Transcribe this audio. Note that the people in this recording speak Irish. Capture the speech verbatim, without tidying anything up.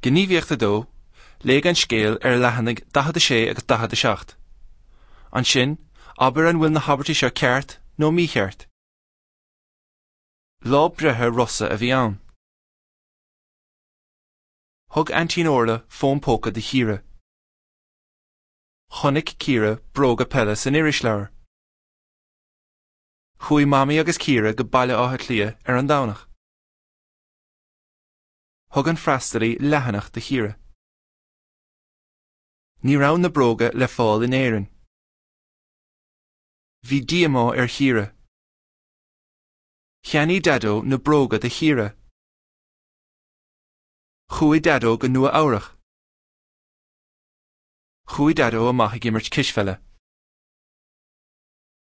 Gníomhaíocht a dó, léigh an scéal ar leathanaigh daichead a sé agus daichead a seacht. Ansin, abair an bhfuil na habairtí seo ceart nó mícheart. Lá breithe Rossa a bhí ann. Thug Aintín Orla fón póca do Chiara. Chonaic Ciara bróga peile san irisleabhar. Chuaigh Mamaí agus Ciara go Baile Átha Cliath ar an Domhnach. Thug an freastalaí leathanach do Chiara. Ní raibh na bróga le fáil in Éirinn. Bhí díomá ar Chiara. Cheannaigh Daideo na bróga do Chiara. Chuaigh Daideo go Nua Eabhrac. Chuaigh Daideo amach ag imirt cispheile.